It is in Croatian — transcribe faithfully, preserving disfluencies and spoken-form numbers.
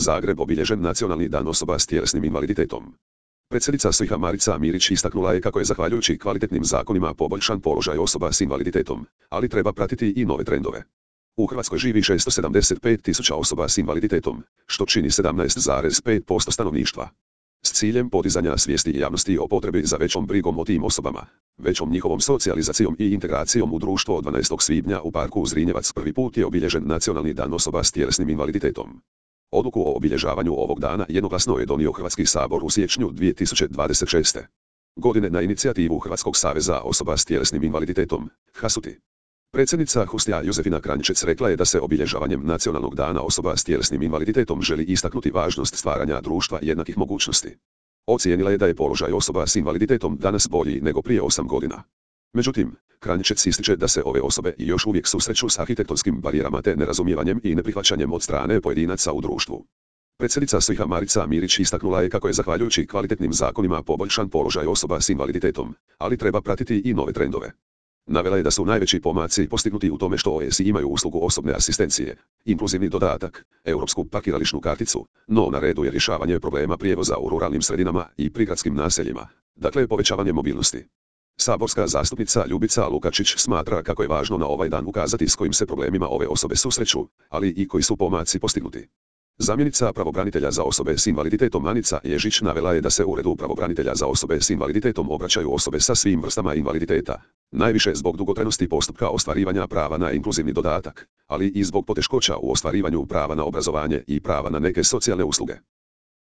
Zagreb obilježen Nacionalni dan osoba s tjelesnim invaliditetom. Predsjednica S I H-a Marica Mirić istaknula je kako je zahvaljujući kvalitetnim zakonima poboljšan položaj osoba s invaliditetom, ali treba pratiti i nove trendove. U Hrvatskoj živi šesto sedamdeset pet tisuća osoba s invaliditetom, što čini sedamnaest zarez pet posto stanovništva. S ciljem podizanja svijesti javnosti o potrebi za većom brigom o tim osobama, većom njihovom socijalizacijom i integracijom u društvo dvanaestog svibnja u parku Zrinjevac prvi put je obilježen Nacionalni dan osoba s tjelesnim invaliditetom. Odluku o obilježavanju ovog dana jednoglasno je donio Hrvatski sabor u siječnju dvije tisuće dvadeset šeste. godine na inicijativu Hrvatskog saveza osoba s tjelesnim invaliditetom, HASUTI. Predsjednica HUST-a Josefina Kranjčec rekla je da se obilježavanjem Nacionalnog dana osoba s tjelesnim invaliditetom želi istaknuti važnost stvaranja društva jednakih mogućnosti. Ocijenila je da je položaj osoba s invaliditetom danas bolji nego prije osam godina. Međutim, Kranjčec ističe da se ove osobe još uvijek susreću s arhitektonskim barijerama te nerazumijevanjem i neprihvaćanjem od strane pojedinaca u društvu. Predsjednica S I H-a Marica Mirić istaknula je kako je zahvaljujući kvalitetnim zakonima poboljšan položaj osoba s invaliditetom, ali treba pratiti i nove trendove. Navela je da su najveći pomaci postignuti u tome što O S I imaju uslugu osobne asistencije, inkluzivni dodatak, europsku parkirališnu karticu, no na redu je rješavanje problema prijevoza u ruralnim sredinama i prigradskim naseljima, dakle povećavanje mobilnosti. Saborska zastupnica Ljubica Lukačić smatra kako je važno na ovaj dan ukazati s kojim se problemima ove osobe susreću, ali i koji su pomaci postignuti. Zamjenica pravobranitelja za osobe s invaliditetom Anica Ježić navela je da se Uredu pravobranitelja za osobe s invaliditetom obraćaju osobe sa svim vrstama invaliditeta, najviše zbog dugotrajnosti postupka ostvarivanja prava na inkluzivni dodatak, ali i zbog poteškoća u ostvarivanju prava na obrazovanje i prava na neke socijalne usluge.